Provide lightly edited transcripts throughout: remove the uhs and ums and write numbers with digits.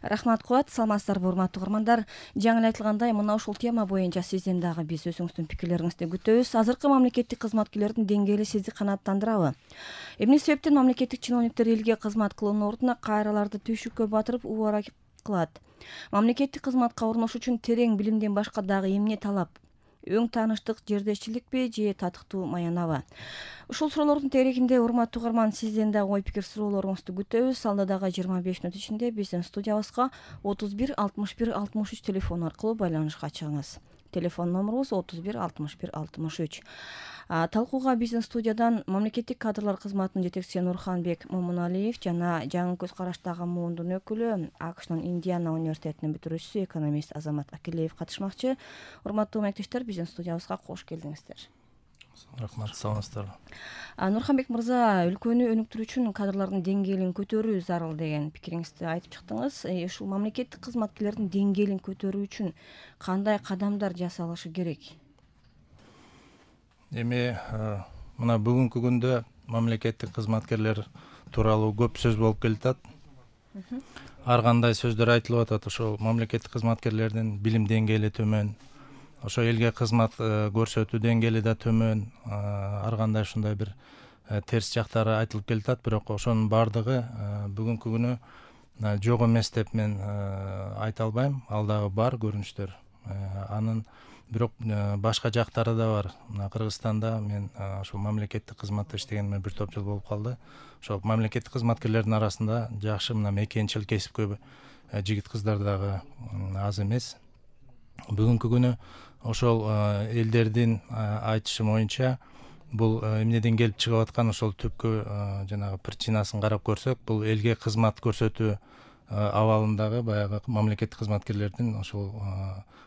Рахмат Куат, саламатсыздарбы урматтуу угармандар. Жаңы эле айтылгандай, мына ушул тема боюнча сизден дагы биз өзүңүздүн пикирлериңизди күтөбүз. Азыркы мамлекеттик кызматкерлердин деңгээли сизди канааттандырабы? Эмне себептен мамлекеттик чиновниктер элге кызмат кылуунун ордуна кайраларды түйшүккө батырып убара кылат? Мамлекеттик кызматка орношуу үчүн терең билимден башка дагы эмне талап? Өң тааныштык, жердешчиликпи же татыктуу маянабы? Ушул суроолордун тегерегинде урматтуу угарман сизден дагы ой пикир суроолоруңузду күтөбүз. Алда дагы 25 мүнөт ичинде биздин студиябызга 31 61 63 телефону аркылуу байланышка чыгыңыз. Телефон номерубуз 31 61 63. Талкууга биздин студиядан мамлекеттик кадрлар кызматынын жетекчиси Нурханбек Момуналиев жана жаңы көз караштагы муундун өкүлү АКШнын Индиана университетинин бүтүрүүчүсү экономист Азамат Акилеев катышмакчы. Урматтуу мектештер, биздин студиябызга кош келдиңиздер. Рахмат, саламатсыздарбы. Нурханбек мырза, өлкөнү өнүктүрүү үчүн кадрлардын деңгээлин көтөрүү зарыл деген пикириңизди айтып чыктыңыз. Ушул мамлекеттик кызматкерлердин деңгээлин көтөрүү үчүн кандай кадамдар жасалышы керек? Эми мына бүгүнкү күндө мамлекеттик кызматкерлер тууралуу көп сөз болуп келатат. Ар кандай сөздөр айтылып атат. Ошол мамлекеттик кызматкерлердин билим деңгээли төмөн, ошо элге кызмат көрсөтүү деңгээли да төмөн, ар кандай ушундай бир терс жактары айтылып келатат. Бирок ошонун баардыгы бүгүнкү күнү жок эмес деп мен айта албайм. Ал дагы бар көрүнүштөр. Анын бирок башка жактары да бар. Мына Кыргызстанда мен ошол мамлекеттик кызматта иштегениме бир топ жыл болуп калды. Ошол мамлекеттик кызматкерлердин арасында жакшы мына мекенчил кесипкө жигит кыздар дагы аз эмес. Бүгүнкү күнү ошол элдердин айтышы боюнча бул эмнеден келип чыгып аткан ошол түпкү жанагы причинасын карап көрсөк, бул элге кызмат көрсөтүү абалындагы баягы мамлекеттик кызматкерлердин ошол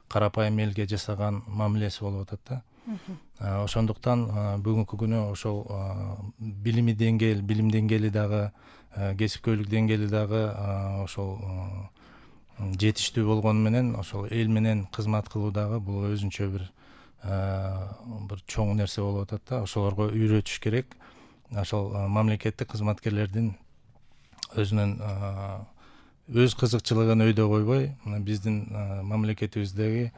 карапайым элге жасаган мамилеси болуп атат да. Ошондуктан бүгүнкү күнү ошол билим деңгээли дагы, кесипкөйлүк деңгээли дагы ошол жетиштүү болгону менен ошол эл менен кызмат кылуу дагы бул өзүнчө бир чоң нерсе болуп атат да. Ошолорго үйрөтүш керек. Ошол мамлекеттик кызматкерлердин өзүнүн өз кызыкчылыгын өйдө койбой, биздин мамлекетибиздеги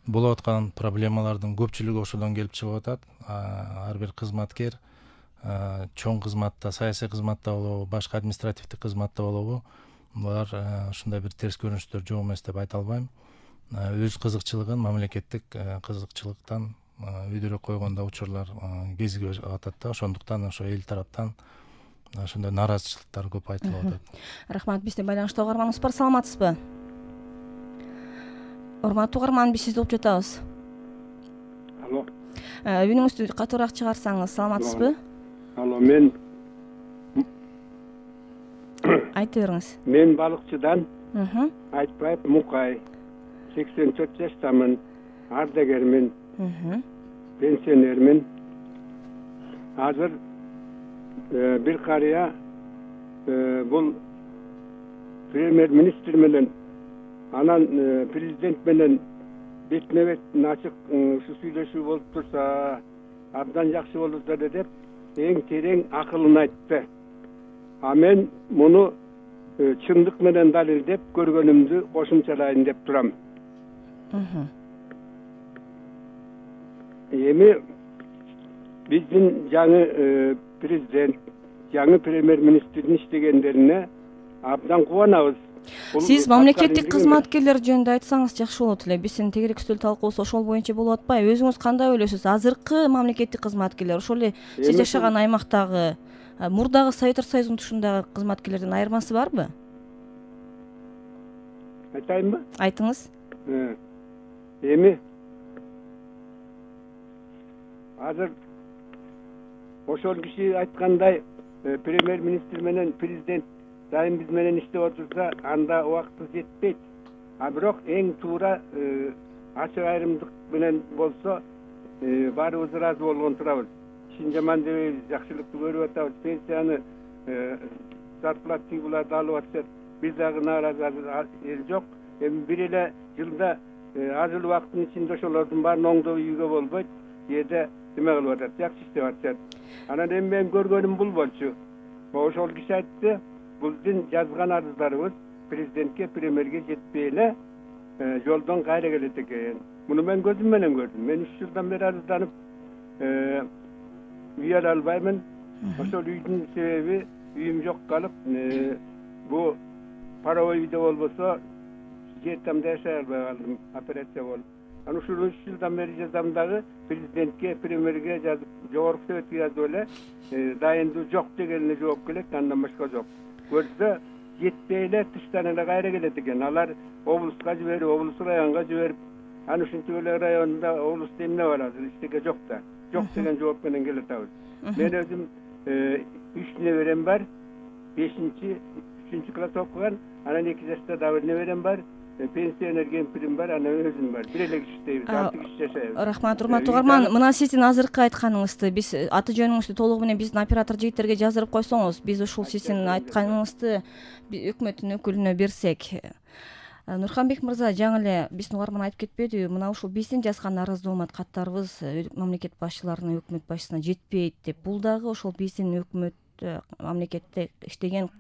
болуп аткан проблемалардын көпчүлүгү ошодон келип чыгып атат. Ар бир кызматкер чоң кызматта, саясий кызматта болобу, башка административдик кызматта болобу, булар ушундай бир терс көрүнүштөр жок эмес деп айта албайм. Өз кызыкчылыгын мамлекеттик кызыкчылыктан өйдөрөк койгон да учурлар кезиге атат да. Ошондуктан ошо эл тараптан ошондой нааразычылыктар көп айтылып атат. Рахмат. Биздин байланышта угарманыбыз бар, саламатсызбы? Урматтуу угарман, биз сизди угуп жатабыз. Алло. Үнүңүздү катуураак чыгарсаңыз, саламатсызбы? Алло, мен айта бериңиз. Мен балыкчыдан Айтбаев Мукай. 84 жаштамын, ардагермин, пенсионермин. Азыр бир карыя бул премьер-министр менен анан президент менен бетме-бет ачык сүйлөшүү болуп турса абдан жакшы болот эле деп эң терең акылын айтты. А мен муну чындык менен далилдеп көргөнүмдү кошумчалайын деп турам. Эми биздин жаңы президент, жаңы премьер-министрдин иштегендерине абдан кубанабыз. Сиз мамлекеттик кызматкерлер жөнүндө айтсаңыз жакшы болот эле. Биздин тегерек үстөл талкуубуз ошол боюнча болуп атпайбы? Өзүңүз кандай ойлойсуз? Азыркы мамлекеттик кызматкерлер, ошол эле сиз жашаган аймактагы, мурдагы Советтер Союзунун тушундагы кызматкерлердин айырмасы барбы? Айтайынбы? Айтыңыз. Эми азыр ошол киши айткандай премьер-министр менен президент дайым биз менен иштеп отурса, анда убактыбыз жетпейт. А бирок эң туура ачык айрымдык менен болсо баарыбыз ыраазы болгон турабыз. Ишин жаман дебейбиз, жакшылыкты көрүп атабыз. Пенсияны зарплата буларды алып атышат. Бир дагы нааразы эл жок. Эми бир эле жылда аз эле убакыттын ичинде ошолордун баарын оңдоо үйгө болбойт. Эде неме кылып атат, жакшы иштеп атышат. Анан эми мен көргөнүм бул болчу. Ошол киши айтты, биздин жазган арыздарыбыз президентке, премьерге жетпей эле жолдон кайра келет экен. Муну мен көзүм менен көрдүм. Мен 3 жылдан бери арызданып үй ала албаймын. Ошол үйдүн себеби үйүм жок калып, бу паровой үйдө болбосо жер тамда жашай албай калдым, операция болуп. Анан ушул 3 жылдан бери жазам дагы президентке, премьерге жазып, жогорку советке жазып эле дайындуу жок дегенине жооп келет, андан башка жок. Көрсө жетпей эле тыштан эле кайра келет экен. Алар облуска жиберип, облус районго жиберип, анан ушинтип эле районда облуста эмне бар азыр, эчтеке жок да. Жок деген жооп менен келе атабыз. Мен өзүм 3 неберем бар, 3 класс окуган, анан 2 жашта дагы бир неберем бар. Пенсионер кемпирим бар, анан өзүм бар. Бир эле киши иштейбиз, 6 киши жашайбыз. Рахмат, урматтуу угарман. Мына сиздин азыркы айтканыңызды биз аты жөнүңүздү толугу менен биздин оператор жигиттерге жаздырып койсоңуз, биз ушул сиздин айтканыңызды өкмөттүн өкүлүнө берсек. Нурханбек мырза, жаңы эле биздин угарман айтып кетпедиби? Мына ушул биздин жазган арыз доомат каттарыбыз мамлекет башчыларына, өкмөт башчысына жетпейт деп. Бул дагы ошол биздин өкмөт, мамлекетте иштеген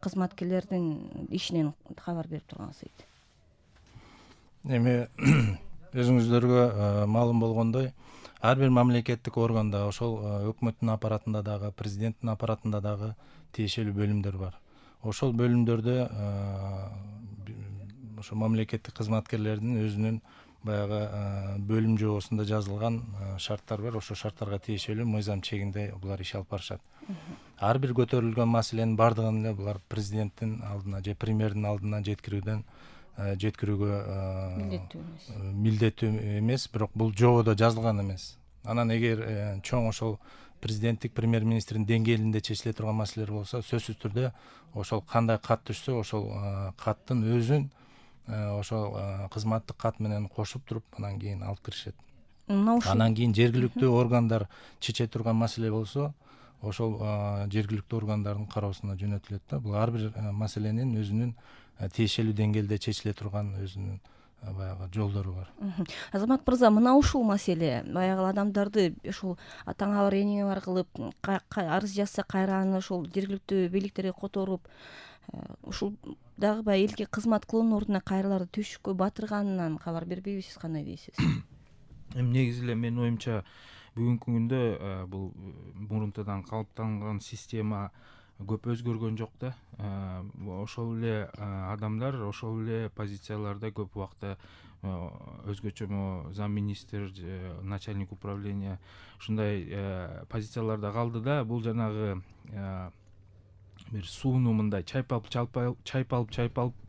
кызматкерлердин ишинен кабар берип турганыңыз дейт. Эми өзүңүздөргө маалым болгондой, ар бир мамлекеттик органда, ошол өкмөттүн аппаратында дагы, президенттин аппаратында дагы тиешелүү бөлүмдөр бар. Ошол бөлүмдөрдө ошо мамлекеттик кызматкерлердин өзүнүн баягы бөлүм жобосунда жазылган шарттар бар. Ошол шарттарга тиешелүү мыйзам чегинде булар иш алып барышат. Ар бир көтөрүлгөн маселенин бардыгын эле булар президенттин алдына же премьердин алдына жеткирүүгө милдеттүү эмес, бирок бул жободо жазылган эмес. Анан эгер чоң ошол президенттик, премьер-министрдин деңгээлинде чечиле турган маселелер болсо, сөзсүз түрдө ошол кандай кат түшсө, ошол каттын өзүн ошол кызматтык кат менен кошуп туруп, анан кийин алып киришет. Анан кийин жергиликтүү органдар чече турган маселе болсо, ошол жергиликтүү органдардын кароосуна жөнөтүлөт да. Бул ар бир маселенин өзүнүн тиешелүү деңгээлде чечиле турган өзүнүн баягы жолдору бар. Азамат мырза, мына ушул маселе баягы адамдарды ушул атаңа бар, эниңе бар кылып, арыз жазса кайра аны ошол жергиликтүү бийликтерге которуп, ушул дагы баягы элге кызмат кылуунун ордуна кайрыларды түшүккө батырганынан кабар бербейби? Сиз кандай дейсиз? Эми негизи эле менин оюмча бүгүнкү күндө бул мурунтадан калыптанган система көп өзгөргөн жок да. Ошол эле адамдар, ошол эле позицияларда көп убакта өзгөчө замминистр, начальник управления ушундай позицияларда калды да. Бул жанагы бир сууну мындай чайпалып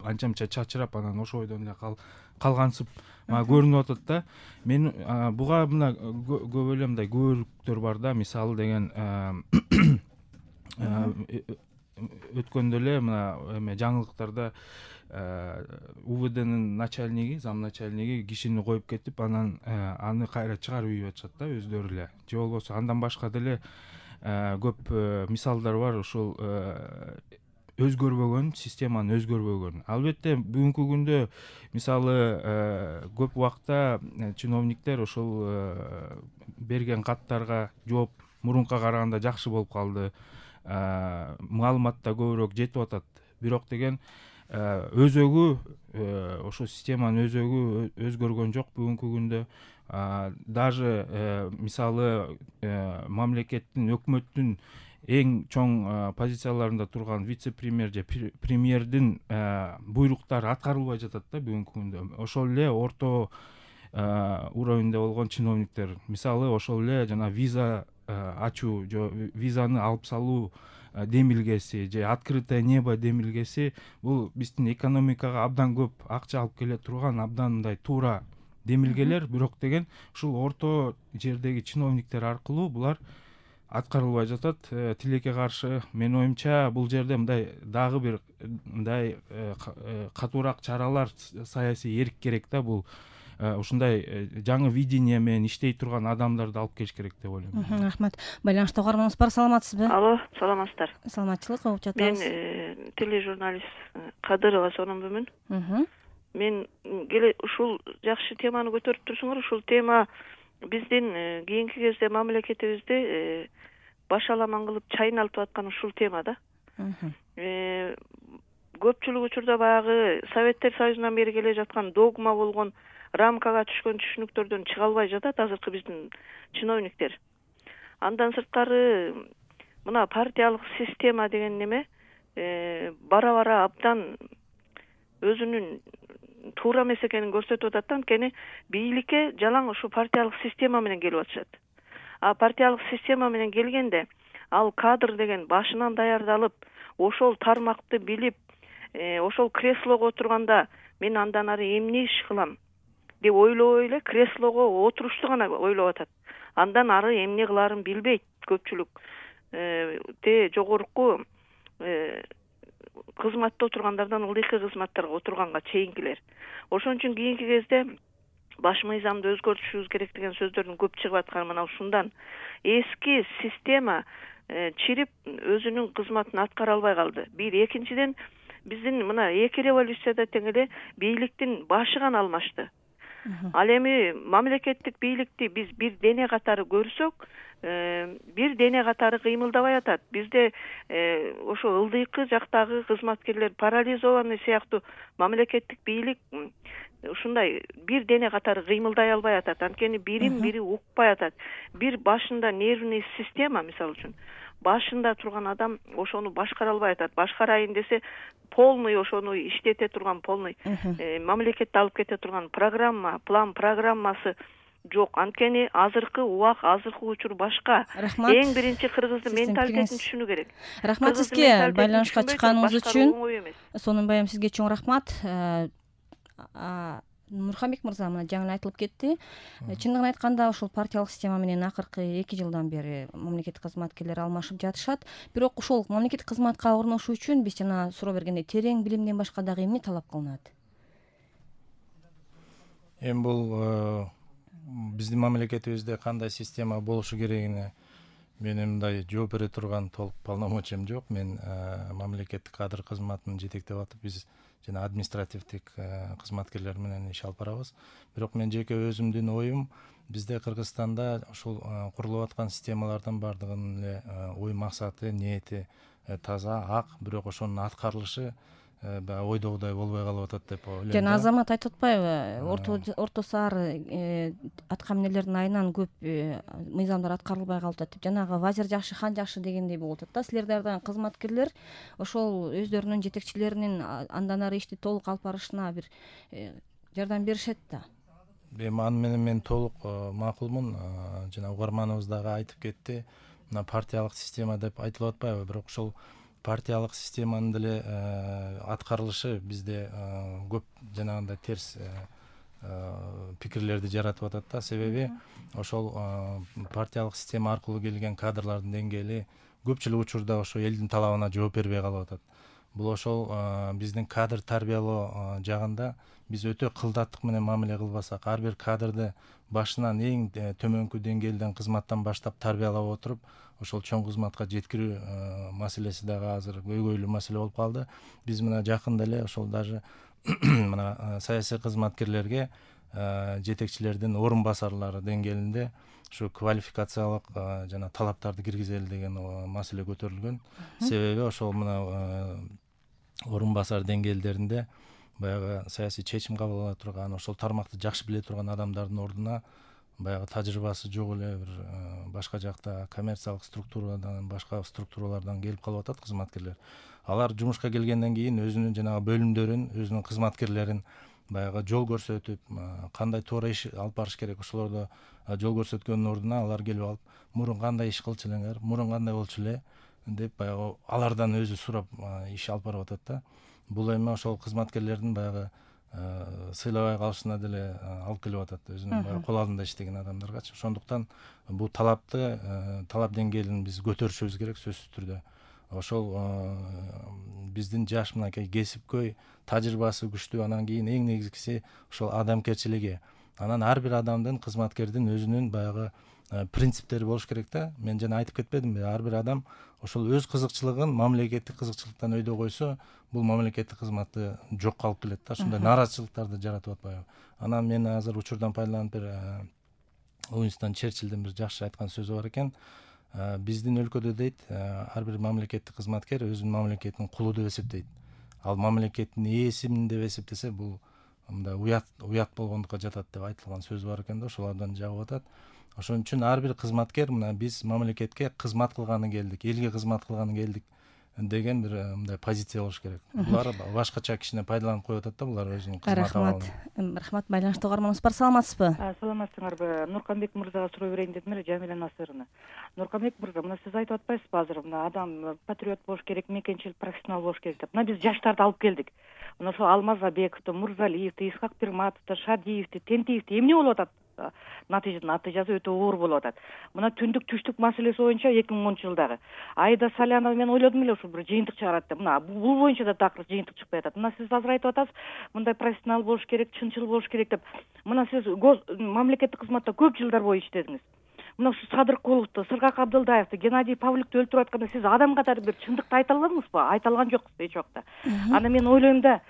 анча мынча чачырап, анан ошол бойдон эле калгансып көрүнүп атат да. Мен буга мына көп эле мындай күбөлүктөр бар да. Мисалы деген өткөндө эле мына эме жаңылыктарда УВДнын начальниги, зам начальниги кишини коюп кетип, анан аны кайра чыгарып ийип атышат да өздөрү эле. Же болбосо андан башка деле көп мисалдар бар. Ошол өзгөрбөгөн, системанын өзгөрбөгөн. Албетте бүгүнкү күндө мисалы көп убакта чиновниктер ошол берген каттарга жооп мурунка караганда жакшы болуп калды. Маалымат да көбүрөөк жетип атат. Бирок деген өзөгү, ошо системанын өзөгү өзгөргөн жок бүгүнкү күндө. Даже мисалы мамлекеттин, өкмөттүн эң чоң позицияларында турган вице-премьер же премьердин буйруктары аткарылбай жатат да бүгүнкү күндө. Ошол эле орто уровеньде болгон чиновниктер, мисалы ошол эле жана виза ачуу же визаны алып салуу демилгеси же открытое небо демилгеси, бул биздин экономикага абдан көп акча алып келе турган абдан мындай туура демилгелер. Бирок деген ушул орто жердеги чиновниктер аркылуу булар аткарылбай жатат. Тилекке каршы менин оюмча бул жерде мындай дагы бир мындай катуураак чаралар, саясий эрк керек да. Бул ушундай жаңы видение менен иштей турган адамдарды алып келиш керек деп ойлойм. Рахмат. Байланышта угарманыбыз бар, саламатсызбы? Алло, саламатсыздар. Саламатчылык, угуп жатабыз. Мен тележурналист Кадырова Сономбүмүн. Мен ушул жакшы теманы көтөрүп турсуңар. Ушул тема биздин кийинки кезде мамлекетибизде башаламан кылып чайналып аткан ушул тема да. көпчүлүк учурда баягы Советтер Союзунан бери келе жаткан догма болгон рамкага түшкөн түшүнүктөрдөн чыга албай жатат азыркы биздин чиновниктер. Андан сырткары мына партиялык система деген неме бара бара абдан өзүнүн туура эмес экенин көрсөтүп атат да. Анткени бийликке жалаң ушу партиялык система менен келип атышат. А партиялык система менен келгенде ал кадр деген башынан даярдалып, ошол тармакты билип, ошол креслого отурганда мен андан ары эмне иш кылам деп ойлобой эле креслого отурушту гана ойлоп атат. Андан ары эмне кылаарын билбейт көпчүлүк жогорку кызматта отургандардан ылдыйкы кызматтарга отурганга чейинкилер. Ошон үчүн кийинки кезде баш мыйзамды өзгөртүшүбүз керек деген сөздөрдүн көп чыгып атканы мына ушундан. Эски система чирип өзүнүн кызматын аткара албай калды. Бир, экинчиден биздин мына эки революцияда тең эле бийликтин башы гана алмашты. Ал эми мамлекеттик бийликти биз бир дене катары көрсөк, бир дене катары кыймылдабай атат. Бизде ошо ылдыйкы жактагы кызматкерлер парализованный сыяктуу мамлекеттик бийлик ушундай бир дене катары кыймылдай албай атат. Анткени бирин бири укпай атат. Бир башында нервный система, мисалы үчүн, башында турган адам ошону башкара албай атат. Башкарайын десе полный ошону иштете турган полный мамлекетти алып кете турган план программасы жок. Анткени азыркы убак, азыркы учур башка. Рахмат. Эң биринчи кыргыздын менталитетин түшүнүү керек. Рахмат сизге байланышка чыкканыңыз үчүн. Сонун баягы сизге чоң рахмат. Нурханбек мырза, мына жаңы айтылып кетти. Чындыгын айтканда ушул партиялык система менен акыркы 2 жылдан бери мамлекеттик кызматкерлер алмашып жатышат. Бирок ошол мамлекеттик кызматка орношуу үчүн биз жана суроо бергендей терең билимден башка дагы эмне талап кылынат? Эми бул биздин мамлекетибизде кандай система болушу керегине менин мындай жооп бере турган толук полномочиям жок. Мен мамлекеттик кадр кызматын жетектеп атып, биз жана административдик кызматкерлер менен иш алып барабыз. Бирок мен жеке өзүмдүн оюм, бизде Кыргызстанда ушул курулуп аткан системалардын бардыгынын эле ой максаты, ниети таза, ак, бирок ошонун аткарылышы ойдогудай болбой калып атат деп ойлойм. Жана Азамат айтып атпайбы, орто сары атка эмнелердин айынан көп мыйзамдар аткарылбай калып атат деп. Жанагы вазир жакшы, хан жакшы дегендей болуп атат да. Силерде дагы кызматкерлер ошол өздөрүнүн жетекчилеринин андан ары ишти толук алып барышына бир жардам беришет да. Эми аны менен мен толук макулмун. Жана угарманыбыз дагы айтып кетти. Мына партиялык система деп айтылып атпайбы, бирок ошол партиялык системанын деле аткарылышы бизде көп жанагындай терс пикирлерди жаратып атат да. Себеби ошол партиялык система аркылуу келген кадрлардын деңгээли көпчүлүк учурда ошо элдин талабына жооп бербей калып атат. Бул ошол биздин кадр тарбиялоо жагында биз өтө кылдаттык менен мамиле кылбасак, ар бир кадрды башынан эң төмөнкү деңгээлден кызматтан баштап тарбиялап отуруп, ошол чоң кызматка жеткирүү маселеси дагы азыр көйгөйлүү маселе болуп калды. Биз мына жакында эле ошол даже мына саясий кызматкерлерге жетекчилердин орун басарлары деңгээлинде ушу квалификациялык жана талаптарды киргизели деген маселе көтөрүлгөн. Себеби ошол мына орун басар деңгээлдеринде баягы саясий чечим кабыл ала турган, ошол тармакты жакшы биле турган адамдардын ордуна баягы тажрыйбасы жок эле бир башка жакта коммерциялык структурадан, башка структуралардан келип калып атат кызматкерлер. Алар жумушка келгенден кийин өзүнүн жанагы бөлүмдөрүн, өзүнүн кызматкерлерин баягы жол көрсөтүп, кандай туура иш алып барыш керек, ошолордо жол көрсөткөндүн ордуна алар келип алып, мурун кандай иш кылчу элеңер, мурун кандай болчу эле деп баягы алардан өзү сурап иш алып барып атат да. Бул эми ошол кызматкерлердин баягы сыйлабай калышына деле алып келип атат, өзүнүн баягы кол алдында иштеген адамдаргачы. Ошондуктан бул талап деңгээлин биз көтөрүшүбүз керек сөзсүз түрдө. Ошол биздин жаш мынакей кесипкөй, тажрыйбасы күчтүү, анан кийин эң негизгиси ошол адамгерчилиги. Анан ар бир адамдын, кызматкердин өзүнүн баягы принциптери болуш керек да. Мен жана айтып кетпедимби, ар бир адам ошол өз кызыкчылыгын мамлекеттик кызыкчылыктан өйдө койсо, бул мамлекеттик кызматты жокко алып келет да. Ушундай нааразычылыктарды жаратып атпайбы. Анан мен азыр учурдан пайдаланып бир Уинстон Черчиллдин бир жакшы айткан сөзү бар экен. Биздин өлкөдө дейт, ар бир мамлекеттик кызматкер өзүнүн мамлекетинин кулу деп эсептейт. ал мамлекеттин ээсимин деп эсептесе, бул мындай уят болгондукка жатат деп айтылган сөз бар экен да, ошолордон жагып атат. Ошон үчүн ар бир кызматкер мына биз мамлекетке кызмат кылганы келдик, элге кызмат кылганы келдик деген бир мындай позиция болуш керек. Булар башкача кишине пайдаланып коюп атат да, булар өзүнүн кызмат абалын. Рахмат. Байланышта угарманыбыз бар, саламатсызбы? Саламатсыңарбы? Нурканбек мырзага суроо берейин дедим эле, Жамиля Насыровна. Нурканбек мырза, мына сиз айтып атпайсызбы азыр, мына адам патриот болуш керек, мекенчил профессионал болуш керек деп. Мына биз жаштарды алып келдик. Мына ошо Алмазбековду, Мурзалиевди, Исхак Пирматовду, Шадиевди, Тентиевди эмне болуп атат? Натыйжасы өтө оор болуп атат. Мына түндүк түштүк маселеси боюнча 2010-жылдагы Айда Салянова мен ойлодум эле ушул бир жыйынтык чыгарат деп. Мына бул боюнча да такыр жыйынтык чыкпай атат. Мына сиз азыр айтып атасыз, мындай профессионал болуш керек, чынчыл болуш керек деп. Мына сиз мамлекеттик кызматта көп жылдар бою иштедиңиз. Мына ушу Садыркуловду, Сыргак Абдылдаевди, Геннадий Павлюкты өлтүрүп атканда сиз адам катары бир чындыкты айта аладыңызбы? Айта алган жоксуз эч убакта. Аны мен ойлойм да,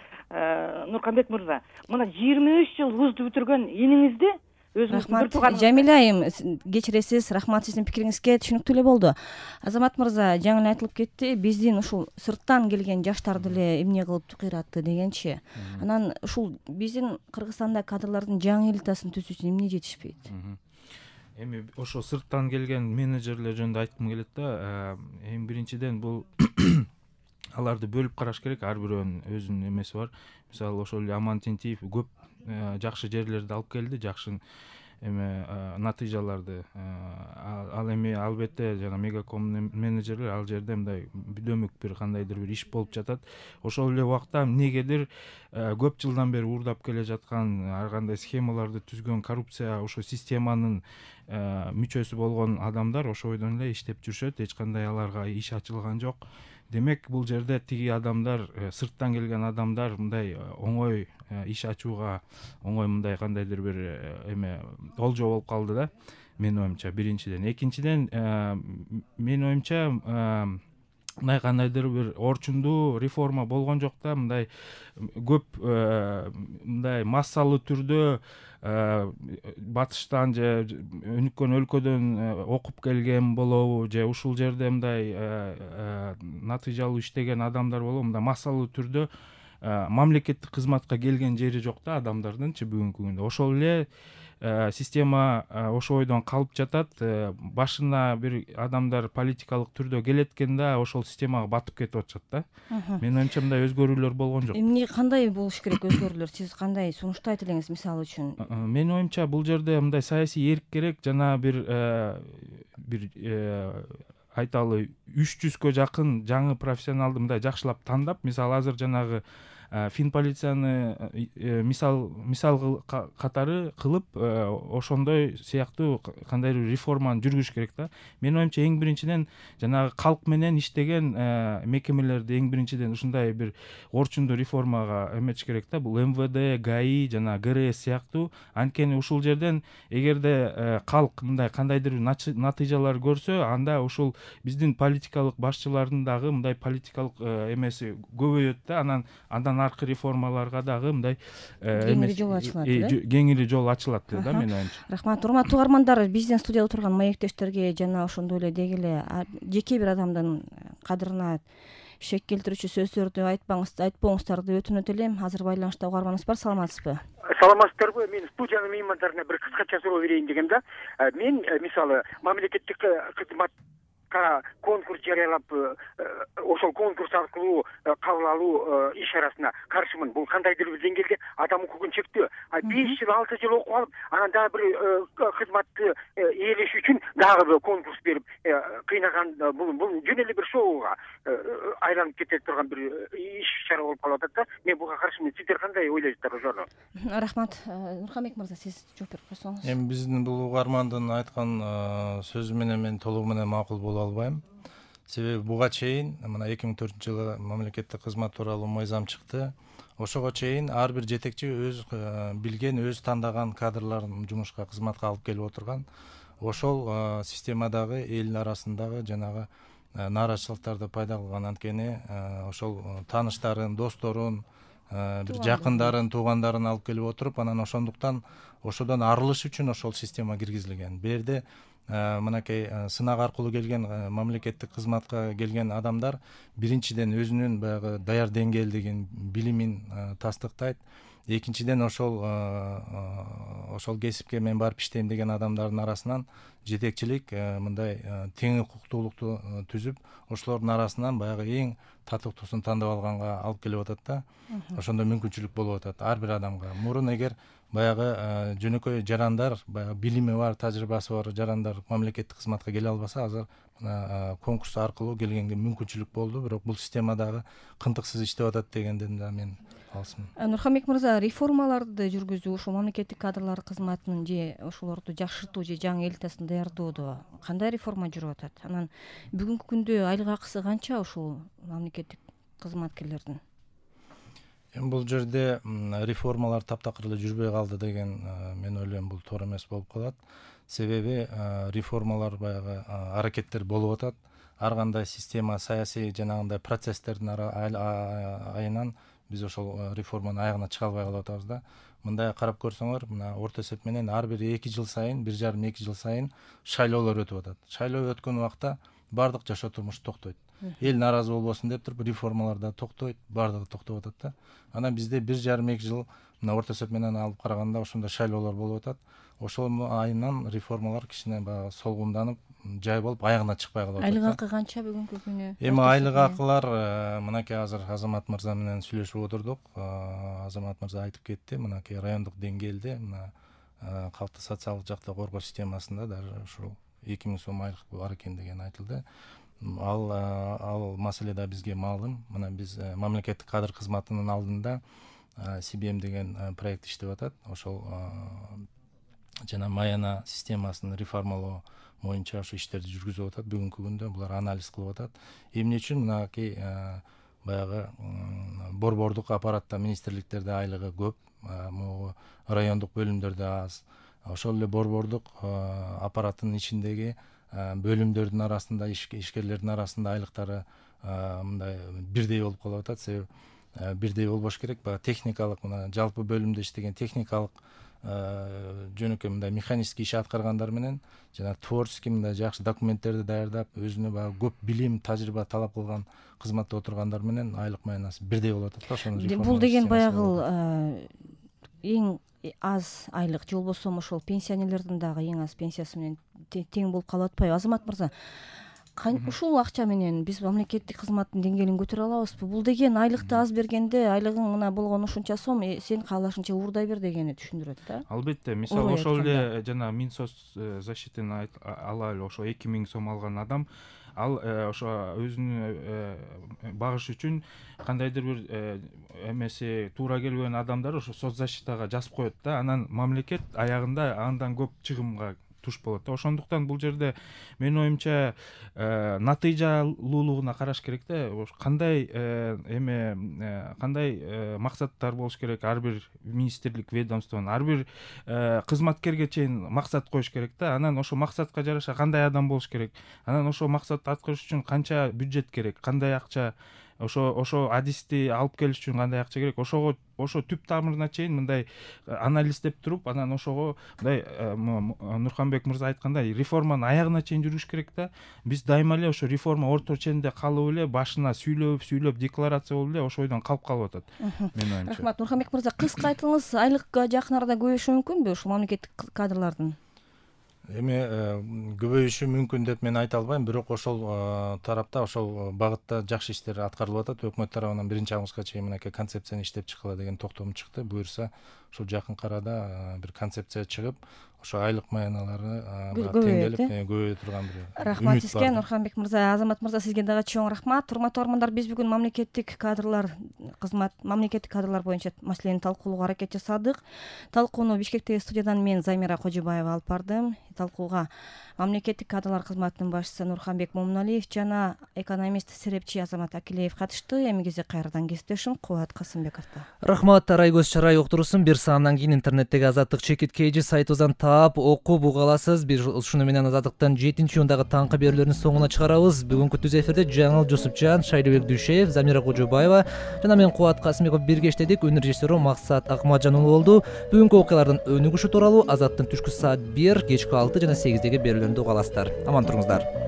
Нурканбек мырза, мына 23 жыл вузду бүтүргөн иниңизди Рахмат. Жамиля айым, кечиресиз. Рахмат, сиздин пикириңизге түшүнүктүү эле болду. Азамат мырза, жаңы эле айтылып кетти, биздин ушул сырттан келген жаштарды эле эмне кылып кыйратты дегенчи. Анан ушул биздин Кыргызстанда кадрлардын жаңы элитасын түзүү үчүн эмне жетишпейт? Эми ошо сырттан келген менеджерлер жөнүндө айткым келет да. Эң биринчиден бул аларды бөлүп караш керек, ар бирөөнүн өзүнүн эмеси бар. Мисалы ошол эле Аман Тентиев көп жакшы жерлерди алып келди, жакшы натыйжаларды. Ал эми албетте жана Мегаком менеджерлер ал жерде мындай бүдөмүк бир кандайдыр бир иш болуп жатат. Ошол эле убакта эмнегедир көп жылдан бери уурдап келе жаткан ар кандай схемаларды түзгөн коррупция ошо системанын мүчөсү болгон адамдар ошол бойдон эле иштеп жүрүшөт, эч кандай аларга иш ачылган жок. Демек бул жерде тиги адамдар, сырттан келген адамдар мындай оңой иш ачууга, оңой мындай кандайдыр бир эме олжо болуп калды да, менин оюмча. Биринчиден, экинчиден, менин оюмча мындай кандайдыр бир орчундуу реформа болгон жок да, мындай көп мындай массалуу түрдө батыштан же өнүккөн өлкөдөн окуп келген болобу, же ушул жерде мындай натыйжалуу иштеген адамдар болобу, мындай массалуу түрдө мамлекеттик кызматка келген жери жок да адамдардынчы бүгүнкү күндө. Ошол эле система ошол бойдон калып жатат. Башына бир адамдар политикалык түрдө келет экен да, ошол системага батып кетип атышат да. Менин оюмча мындай өзгөрүүлөр болгон жок. Эмне кандай болуш керек өзгөрүүлөр? Сиз кандай сунушту айта элеңиз мисалы үчүн? Менин оюмча бул жерде мындай саясий эрк керек, жана бир айталы 300кө жакын жаңы профессионалды мындай жакшылап тандап, мисалы азыр жанагы Финполицияны мисал катары кылып ошондой сыяктуу кандайдыр реформаны жүргүзүш керек да. Менин оюмча эң биринчиден жанагы калк менен иштеген мекемелерди эң биринчиден ушундай бир орчундуу реформага эметиш керек да. Бул МВД, ГАИ жана ГРС сыяктуу. Анткени ушул жерден эгерде калк мындай кандайдыр натыйжалар көрсө, анда ушул биздин политикалык башчылардын дагы мындай политикалык эмеси көбөйөт да. Андан аркы реформаларга дагы мындай кеңири жол ачылат эле. Кеңири жол ачылат да, менин оюмча. Рахмат. Урматтуу угармандар, биздин студияда отурган маектештерге жана ошондой эле деги эле жеке бир адамдын кадырына шек келтирүүчү сөздөрдү айтпоңуздар деп өтүнөт элем. Азыр байланышта угарманыбыз бар, саламатсызбы? Саламатсыздарбы? Мен студиянын меймандарына бир кыскача суроо берейин дегем да. Мен мисалы мамлекеттик кызмат конкурс жарыялап, ошол конкурс аркылуу кабыл алуу иш арасына каршымын. Бул кандайдыр бир деңгээлде адам укугун чектөө. 5 жыл 6 жыл окуп алып, анан дагы бир кызматты ээлеш үчүн дагы бир конкурс берип кыйнаган, бул жөн эле бир шоуга айланып кете турган бир иш чара болуп калып атат да. Мен буга каршымын. Сиздер кандай ойлойсуздар ошону? Рахмат. Нурканбек мырза, сиз жооп берип койсоңуз. Эми биздин бул угармандын айткан сөзү менен мен толугу менен макул боло албайм. Себеби буга чейин мына 2004-жылы мамлекеттик кызмат тууралуу мыйзам чыкты. Ошого чейин ар бир жетекчи өз билген, өз тандаган кадрларын жумушка, кызматка алып келип отурган. Ошол системадагы эл арасындагы жанагы нааразычылыктарды пайда кылган. Анткени ошол тааныштарын, досторун, бир жакындарын, туугандарын алып келип отуруп, анан ошондуктан ошодон арылыш үчүн ошол система киргизилген. Бу жерде мынакей сынак аркылуу келген мамлекеттик кызматка келген адамдар биринчиден өзүнүн баягы даяр деңгээлдигин, билимин тастыктайт. Экинчиден ошол кесипке мен барып иштейм деген адамдардын арасынан жетекчилик мындай тең укуктуулукту түзүп, ошолордун арасынан баягы эң татыктуусун тандап алганга алып келип атат да. Ошондо мүмкүнчүлүк болуп атат ар бир адамга. Мурун эгер баягы жөнөкөй жарандар, баягы билими бар, тажрыйбасы бар жарандар мамлекеттик кызматка келе албаса, азыр конкурс аркылуу келгенге мүмкүнчүлүк болду. Бирок бул система дагы кынтыксыз иштеп атат дегенден да мен алысмын. Нурханбек мырза, реформаларды жүргүзүү ушул мамлекеттик кадрлар кызматынын же ошолорду жакшыртуу же жаңы элитасын даярдоодо кандай реформа жүрүп атат? Анан бүгүнкү күндө айлык акысы канча ушул мамлекеттик кызматкерлердин? Бул жерде реформалар таптакыр эле жүрбөй калды деген мен ойлойм бул туура эмес болуп калат. Себеби реформалар баягы аракеттер болуп атат. Ар кандай система, саясий жанагындай процесстердин айынан биз ошол реформанын аягына чыга албай калып атабыз да. Мындай карап көрсөңөр, мына орто эсеп менен ар бир 2 жыл сайын, 1,5-2 жыл сайын шайлоолор өтүп атат. Шайлоо өткөн убакта бардык жашоо турмуш токтойт. Эл нааразы болбосун деп туруп реформалар да токтойт, бардыгы токтоп атат да. Анан бизде 1,5-2 жыл мына орто эсеп менен алып караганда ошондой шайлоолор болуп атат. Ошол айынан реформалар кичине баягы солгунданып, жай болуп аягына чыкпай калып атат. Айлык акы канча бүгүнкү күнү? Эми айлык акылар мынакей азыр Азамат мырза менен сүйлөшүп отурдук. Азамат мырза айтып кетти, мынакей райондук деңгээлде мына калкты социалдык жакта коргоо системасында даже ушул 2000 сом айлык бар экен деген айтылды. Ал маселе да бизге маалым. Мына биз мамлекеттик кадр кызматынын алдында CBM деген проект иштеп атат. Ошол жана Маяна системасын реформалоо боюнча ошо иштерди жүргүзүп атат. Бүгүнкү күндө булар анализ кылып атат. Эмне үчүн мынакей баягы борбордук аппаратта, министрликтерде айлыгы көп, могу райондук бөлүмдөрдө аз. Ошол эле борбордук аппараттын ичиндеги бөлүмдөрдүн арасында, ишкерлердин арасында айлыктары мындай бирдей болуп калып атат. Себеби бирдей болбош керек. Баягы техникалык, мына жалпы бөлүмдө иштеген техникалык жөнөкөй мындай механический иш аткаргандар менен жана творческий мындай жакшы документтерди даярдап, өзүнө баягы көп билим, тажрыйба талап кылган кызматта отургандар менен айлык маянасы бирдей болуп атат да. Ошону бул деген баягы эң аз айлык же болбосо ошол пенсионерлердин дагы эң аз пенсиясы менен тең болуп калып атпайбы? Азамат мырза, ушул акча менен биз мамлекеттик кызматтын деңгээлин көтөрө алабызбы? Бул деген айлыкты аз бергенде айлыгың мына болгон ушунча сом, сен каалашыңча уурдай бер дегени түшүндүрөт да. Албетте, мисалы ошол эле жана Минсоцзащитын алалы ошо 2000 сом алган адам, ал ошо өзүнүн багыш үчүн кандайдыр бир эмеси туура келбеген адамдар ошо соцзащитага жазып коет да. Анан мамлекет аягында андан көп чыгымга туш болот да. Ошондуктан бул жерде менин оюмча натыйжалуулугуна караш керек да. Кандай кандай максаттар болуш керек ар бир министрлик, ведомствонун, ар бир кызматкерге чейин максат коюш керек да. Анан ошо максатка жараша кандай адам болуш керек, анан ошо максатты аткарыш үчүн канча бюджет керек, кандай акча, ошо адисти алып келиш үчүн кандай акча керек, ошо түп тамырына чейин мындай анализдеп туруп, анан ошого мындай Нурханбек мырза айткандай реформанын аягына чейин жүрүш керек да. Биз дайыма эле ошо реформа орто ченинде калып эле, башына сүйлөп декларация болуп эле ошол ойдон калып атат. Менин оюмча. Рахмат. Нурханбек мырза, кыска айтыңыз, айлыкка жакын арада көбөйүшү мүмкүнбү ушул мамлекеттик кадрлардын? Эми көбөйүшү мүмкүн деп мен айта албайм, бирок ошол тарапта, ошол багытта жакшы иштер аткарылып атат. Өкмөт тарабынан 1-августка чейин мынакей концепцияны иштеп чыккыла деген токтом чыкты. Буюрса ошол жакынкы арада бир концепция чыгып, ошо айлык маяналары теңделип көбөйө турган бир рахмат сизге. Нурханбек мырза, Азамат мырза, сизге дагы чоң рахмат. Урматтуу армандар, биз бүгүн мамлекеттик кадрлар боюнча маселени талкуулоого аракет жасадык. Талкууну Бишкектеги студиядан мен Замира Кожобаева алып бардым. Талкууга мамлекеттик кадрлар кызматынын башчысы Нурханбек Момуналиев жана экономист Серепчи Азамат Акилеев катышты. Эми кезде кайрадан кесиптешим Кубат Касымбековдо. Рахмат, Арайгөз Чарай уктурусун. Бир болсо андан кийин интернеттеги Азаттык чекит KG сайтыбыздан таап окуп уга аласыз. Биз ушуну менен Азаттыктан 7-июндагы таңкы берүүлөрдүн соңуна чыгарабыз. Бүгүнкү түз эфирде Жаңыл Жусупжан, Шайдыбек Дүйшеев, Замира Кожобаева жана мен Кубат Касымбеков бирге иштедик. Өнөр режиссеру Максат Акматжан уулу болду. Бүгүнкү окуялардын өнүгүшү тууралуу Азаттын түшкү саат 1, кечки 6 жана 8деги берүүлөрүндө уга аласыздар. Аман туруңуздар.